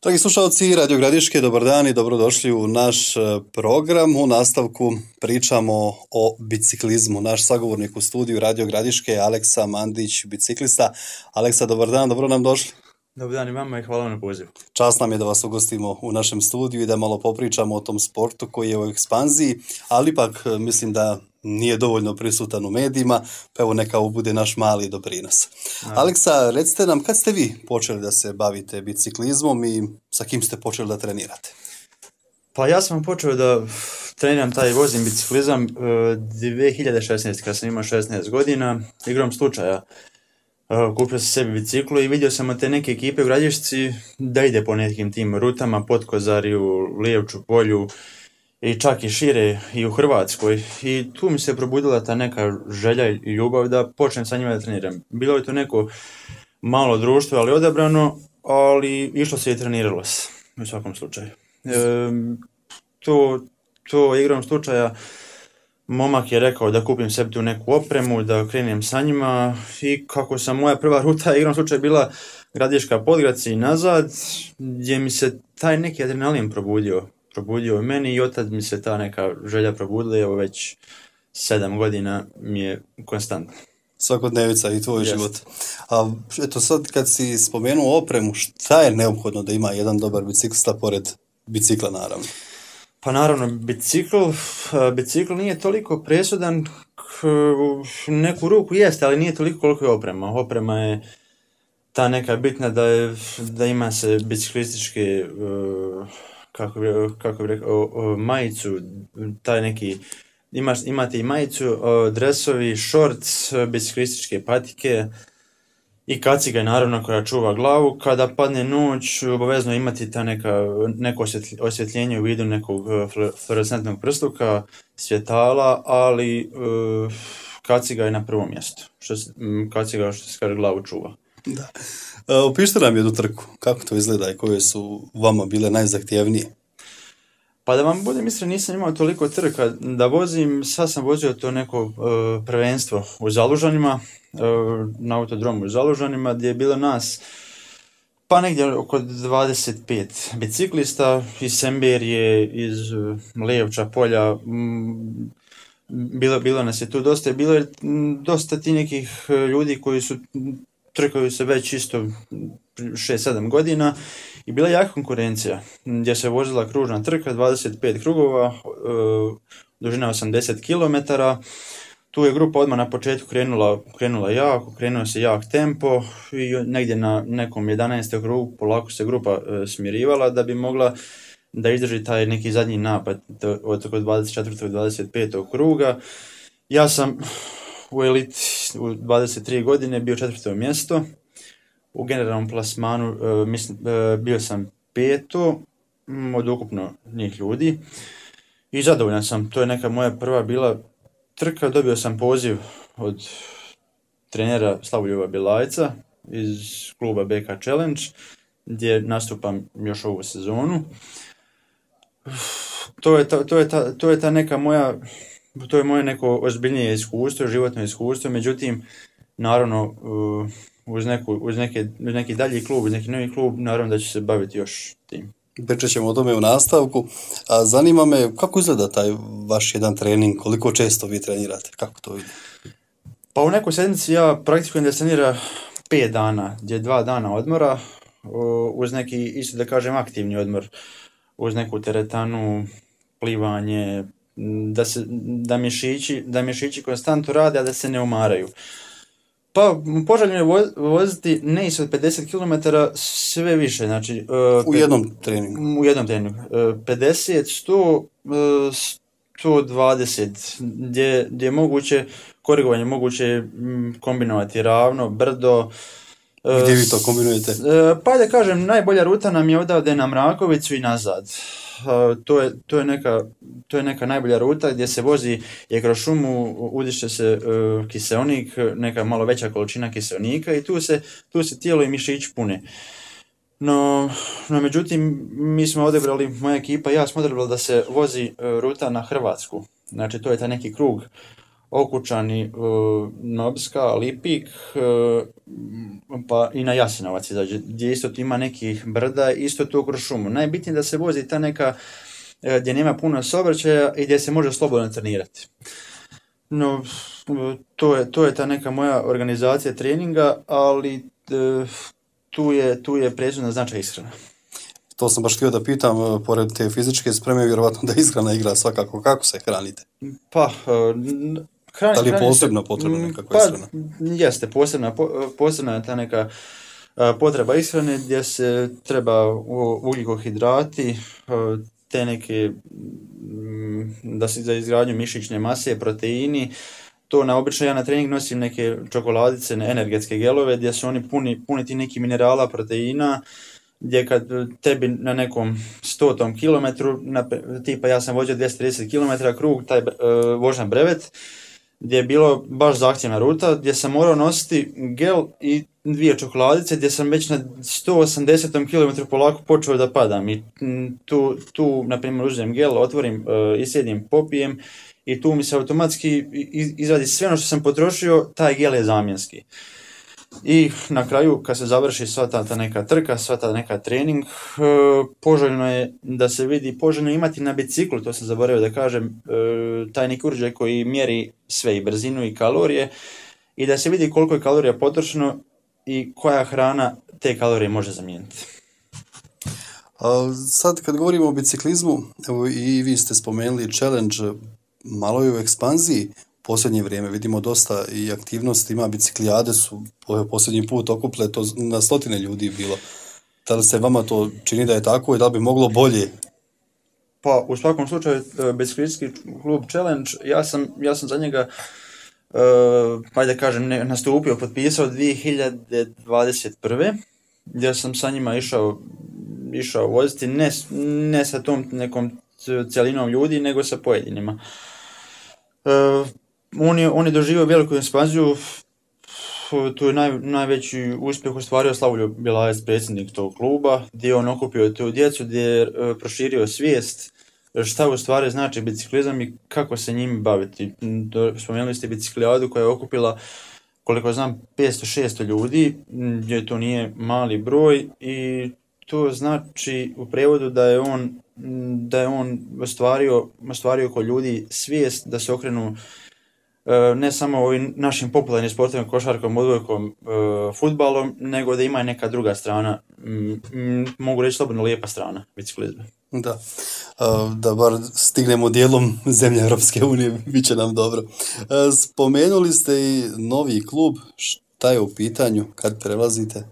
Dragi slušalci Radio Gradiške, dobar dan i dobrodošli u naš program. U nastavku pričamo o biciklizmu. Naš sagovornik u studiju Radio Gradiške je Aleksa Mandić, biciklista. Aleksa, dobar dan, dobro nam došli. Dobar dan i vama i hvala vam na pozivu. Čast nam je da vas ugostimo u našem studiju i da malo popričamo o tom sportu koji je u ekspanziji, ali ipak mislim da nije dovoljno prisutan u medijima, pa evo neka ovo bude naš mali doprinos. Aleksa, recite nam, kad ste vi počeli da se bavite biciklizmom i sa kim ste počeli da trenirate? Pa ja sam počeo da treniram vozim biciklizam 2016. kad sam imao 16 godina, igrom slučaja. Kupio sam sebi biciklu i vidio sam od te neke ekipe u Gradišci da ide po nekim tim rutama, Potkozariju, Lijevču polju i čak i šire i u Hrvatskoj. I tu mi se probudila ta neka želja i ljubav da počnem sa njima da treniram. Bilo je to neko malo društvo, ali odabrano, ali išlo se i treniralo se u svakom slučaju. To igrom slučaja momak je rekao da kupim sebi tu neku opremu, da krenem sa njima i kako sam moja prva ruta igrom slučaja bila Gradiška Podgradci i nazad, gdje mi se taj neki adrenalin probudio u meni i od tad mi se ta neka želja probudila, evo već 7 godina mi je konstantno. Svakodnevica i tvoj život. A eto sad kad si spomenuo opremu, šta je neophodno da ima jedan dobar biciklista pored bicikla naravno? Pa naravno, bicikl nije toliko presudan, neku ruku jeste, ali nije toliko koliko je oprema. Oprema je ta neka bitna da ima se biciklističke, kako bi rekao, majicu, taj neki, imate i majicu, dresovi, shorts, biciklističke patike i kaciga naravno koja čuva glavu. Kada padne noć, obavezno imati neko osvjetljenje u vidu nekog fluorescentnog prsluka, svjetala, ali kaciga je na prvom mjestu. Kaciga što se kaže glavu čuva. Da. Opišite nam jednu trku, kako to izgleda i koje su vama bile najzahtjevnije? Pa da vam budem iskren, nisam imao toliko trka da vozim, sad sam vozio to neko prvenstvo u Zalužanima, na autodromu u Zalužanima, gdje je bilo nas pa negdje oko 25 biciklista iz Semberije, iz Lijevča polja, bilo nas je tu dosta, bilo je dosta ti nekih ljudi koji su trkaju se već isto 6-7 godina i bila je jaka konkurencija gdje se vozila kružna trka, 25 krugova, dužina 80 km. Tu je grupa odmah na početku krenula jako, krenuo se jak tempo i negdje na nekom 11. krugu polako se grupa smirivala da bi mogla da izdrži taj neki zadnji napad od 24. 25. kruga. Ja sam u eliti u 23 godine bio 4. mjesto. U generalnom plasmanu bio sam 5. od ukupno njih ljudi i zadovoljan sam. To je neka moja prva bila trka. Dobio sam poziv od trenera Slavoljuba Bilajca iz kluba BK Challenge gdje nastupam još ovu sezonu. To je ta neka moja, to je moje neko ozbiljnije iskustvo, životno iskustvo, međutim, naravno, uz neki dalji klub, uz neki novi klub, naravno da ću se baviti još tim. Pričat ćemo o tome u nastavku. A zanima me kako izgleda taj vaš jedan trening, koliko često vi trenirate, kako to ide? Pa u nekoj sedmici ja praktikujem da se trenira 5 dana, gdje 2 dana odmora, uz neki, isto da kažem, aktivni odmor, uz neku teretanu, plivanje, da mišići konstantno rade, a da se ne umaraju. Pa poželjno je voziti ne ispod 50 km, sve više, znači... U jednom treningu? U jednom treningu. 50, 100, 120, gdje je moguće, korigovanje moguće kombinovati ravno, brdo. Gdje vi to kombinujete? Pa da kažem, najbolja ruta nam je odavde na Mrakovicu i nazad. To je neka najbolja ruta gdje se vozi je kroz šumu, udiše se kiseonik, neka malo veća količina kiseonika i tu se tijelo i mišić pune. No međutim, mi smo odabrali, moja ekipa i ja smo odabrali da se vozi ruta na Hrvatsku. Znači to je taj neki krug Okučani, Nobska, Lipik, pa i na Jasenovac izađe, gdje isto ima nekih brda, isto tu kroz šumu. Najbitnije da se vozi ta neka gdje nema puno saobraćaja i gdje se može slobodno trenirati. No, to je ta neka moja organizacija treninga, ali tu je presudna značaj ishrana. To sam baš htio da pitam, pored te fizičke spreme, vjerovatno da ishrana igra svakako. Kako se hranite? Pa, da li je posebno potrebna nekakva ishrana? Jeste, posebna je ta neka potreba ishrane gdje se treba ugljikohidrati, te neke, da se za izgradnju mišićne mase, proteini. To obično ja na trening nosim neke čokoladice, energetske gelove gdje su oni puni ti neki minerala, proteina, gdje kad tebi na nekom 100 kilometru, tipa ja sam vođao 230 km krug, taj vožnja brevet, gdje je bilo baš zahtjevna ruta, gdje sam morao nositi gel i 2 čokoladice, gdje sam već na 180 km polako počeo da padam. I tu na primjer, uzmem gel, otvorim, isjedim, popijem i tu mi se automatski izvadi sve ono što sam potrošio, taj gel je zamjenski. I na kraju, kad se završi sva ta neka trka, sva ta neka trening, poželjno je da se vidi, poželjno je imati na biciklu, to sam zaboravio da kažem, taj neki uređaj koji mjeri sve, i brzinu i kalorije, i da se vidi koliko je kalorija potrošeno i koja hrana te kalorije može zamijeniti. Sad kad govorimo o biciklizmu, evo i vi ste spomenuli challenge, malo je u ekspanziji. Posljednje vrijeme vidimo dosta i aktivnosti, ima biciklijade su posljednji put okupile, to na 100 ljudi bilo. Da li se vama to čini da je tako i da li bi moglo bolje? Pa u svakom slučaju biciklistički klub Challenge, ja sam za njega ajde kažem nastupio, potpisao 2021. gdje sam sa njima išao voziti, ne sa tom nekom cjelinom ljudi, nego sa pojedinima. On je doživio veliku ekspanziju, tu je najveći uspjeh ostvario Slavoljub Bjelajec, predsjednik tog kluba, gdje je on okupio tu djecu, gdje je proširio svijest šta u stvari znači biciklizam i kako se njim baviti. Spomenuli ste biciklijadu koja je okupila, koliko znam, 500-600 ljudi, gdje to nije mali broj, i to znači u prevodu da je on ostvario kod ljudi svijest da se okrenu ne samo ovim našim popularnim sportovima, košarkom, odbojkom, fudbalom, nego da ima i neka druga strana, mogu reći slobodno lijepa strana biciklizma. Da bar stignemo dijelom zemlje Europske unije, bit će nam dobro. Spomenuli ste i novi klub, šta je u pitanju, kad prelazite?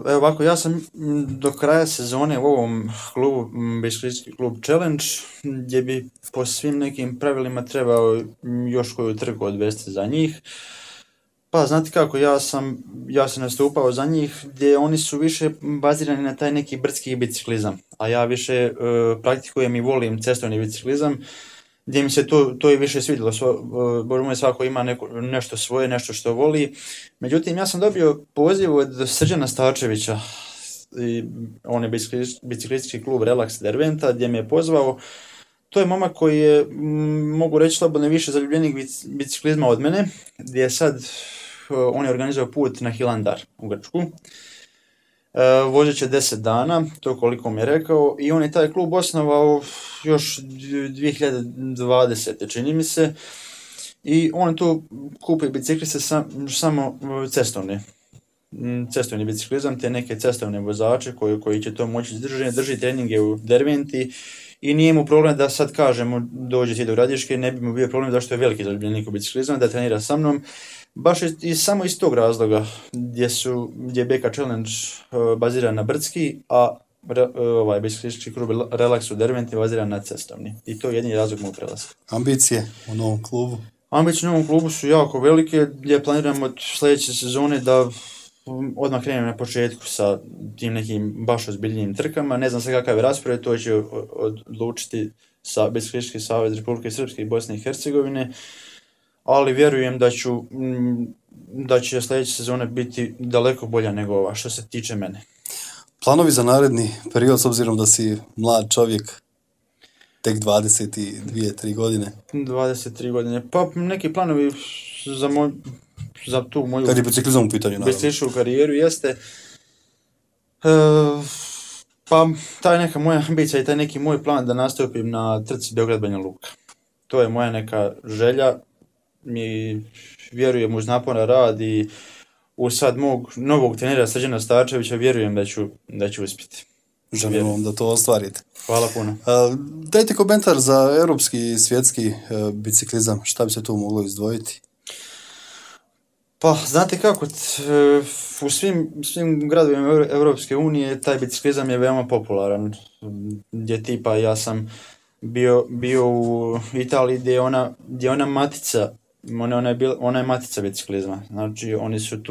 Evo ovako, ja sam do kraja sezone u ovom klubu, biciklistički klub Challenge, gdje bi po svim nekim pravilima trebao još koju trku odvesti za njih. Pa znate kako, ja sam nastupao za njih gdje oni su više bazirani na taj neki brdski biciklizam, a ja više praktikujem i volim cestovni biciklizam, gdje mi se to i više svidjelo. Bože moj, svako ima nešto svoje, nešto što voli. Međutim, ja sam dobio poziv od Srđana Starčevića, on je biciklistički klub Relax Derventa, gdje me je pozvao. To je momak koji je, mogu reći slobodno, više zaljubljenik biciklizma od mene, gdje je sad, on je organizao put na Hilandar u Grčku. Vozit će 10 dana, to koliko mi je rekao, i on je taj klub osnovao još 2020. čini mi se, i on tu kupi bicikliste samo cestovni biciklizam, te neke cestovne vozače koji će to moći drži treninge u Derventi, i nije mu problem da sad kažemo dođe ti do Gradiške, ne bi mu bio problem zašto je veliki zaljubljenik u biciklizam, da trenira sa mnom. Baš samo iz tog razloga gdje je BK Challenge baziran na brdski, a ovaj biciklistički klub Relax u Derventi baziran na cestovni. I to je jedini razlog mog prelaska. Ambicije u novom klubu? Ambicije u novom klubu su jako velike, gdje planiramo od sljedeće sezone da odmah krenemo na početku sa tim nekim baš ozbiljnim trkama. Ne znam se kakav je raspored, to će odlučiti Biciklistički savez Republike Srpske i Bosne i Hercegovine, ali vjerujem da će sljedeća sezona biti daleko bolja nego ova, što se tiče mene. Planovi za naredni period, s obzirom da si mlad čovjek? tek 22-3 godine? 23 godine. Pa neki planovi za tu moju Kad je biciklizam u pitanju, naravno. biciklističku karijeru jeste pa taj neka moja ambicija i taj neki moj plan da nastupim na trci Beograd-Banja Luka. To je moja neka želja i vjerujem uz naporan rad i u sad mog novog trenera Srđana Starčevića vjerujem da ću uspjeti. Želimo vam da to ostvarite. Hvala puno. Dajte komentar za europski i svjetski biciklizam. Šta bi se tu moglo izdvojiti? Pa, znate kako, u svim gradovima Europske unije taj biciklizam je veoma popularan. Gdje tipa ja sam bio u Italiji gdje je ona matica, ona je matica biciklizma. Znači oni su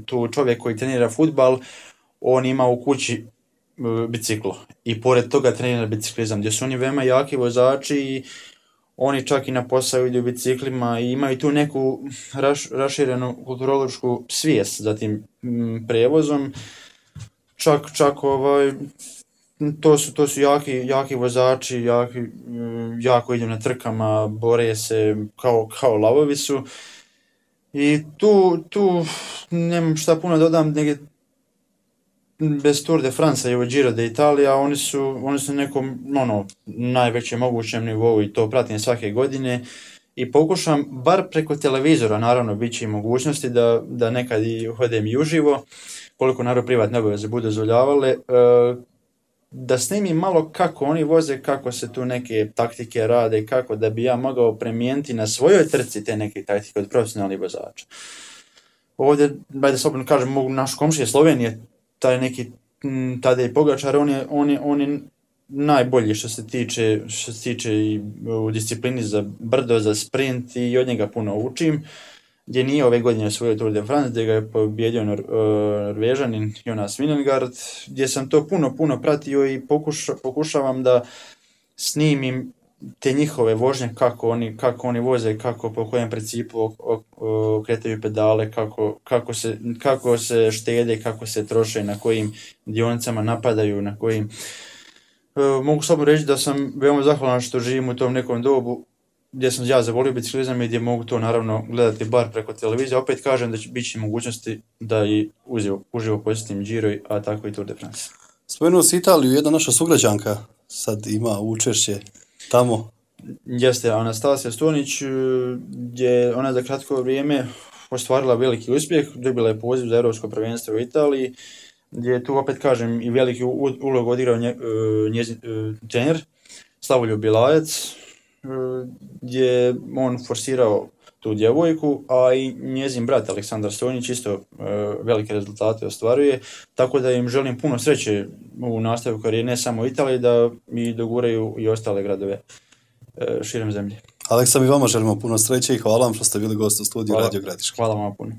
tu čovjek koji trenira fudbal, on ima u kući biciklo i pored toga trenira biciklizam gdje su oni veoma jaki vozači i oni čak i na posao idu biciklima i imaju tu neku raširenu kulturološku svijest za tim prijevozom. Čak to su jaki vozači, jako idu na trkama, bore se kao lavovi su. I tu nemam šta puno dodam, nego bez Tour de France i Giro d'Italia, oni su na nekom najvećem mogućem nivou i to pratim svake godine i pokušam, bar preko televizora, naravno bit će i mogućnosti da nekad i hodem i uživo, koliko naravno privatne obaveze budu dozvoljavale, da snimim malo kako oni voze, kako se tu neke taktike rade, kako da bi ja mogao primijeniti na svojoj trci te neke taktike od profesionalnih vozača. Ovdje, da slobodno kažem, mogu naš komšije Slovenije, taj neki Tadej Pogačar, on je najbolji što se tiče i u disciplini za brdo, za sprint i od njega puno učim, gdje nije ove godine osvojio Tour de France, gdje ga je pobjedio Norvežanin Jonas Vingegaard, gdje sam to puno pratio i pokušavam da snimim te njihove vožnje, kako oni voze, po kojem principu okretaju pedale, kako se štede, kako se troše, na kojim dionicama napadaju, na kojim... Mogu slobodno reći da sam veoma zahvalan što živim u tom nekom dobu gdje sam ja zavolio biciklizam i gdje mogu to naravno gledati bar preko televizije. Opet kažem da će biti mogućnosti da i uživo posjetim Giro, a tako i Tour de France. Spomenuo si Italiju, jedna naša sugrađanka sad ima učešće tamo. Jeste Anastasija Stonić, gdje ona za kratko vrijeme ostvarila veliki uspjeh, dobila je poziv za Europsko prvenstvo u Italiji, gdje tu opet kažem i veliki ulog odigrao njezin trener Slavoljub Bilajac, gdje je on forsirao tu djevojku, a i njezin brat Aleksandar Stonić isto velike rezultate ostvaruje, tako da im želim puno sreće u nastavku karijere, ne samo u Italiji, da mi doguraju i ostale gradove širom zemlje. Aleksa, mi vama želimo puno sreće i hvala vam što ste bili gost u studiju Radio Gradiška. Hvala vam puno.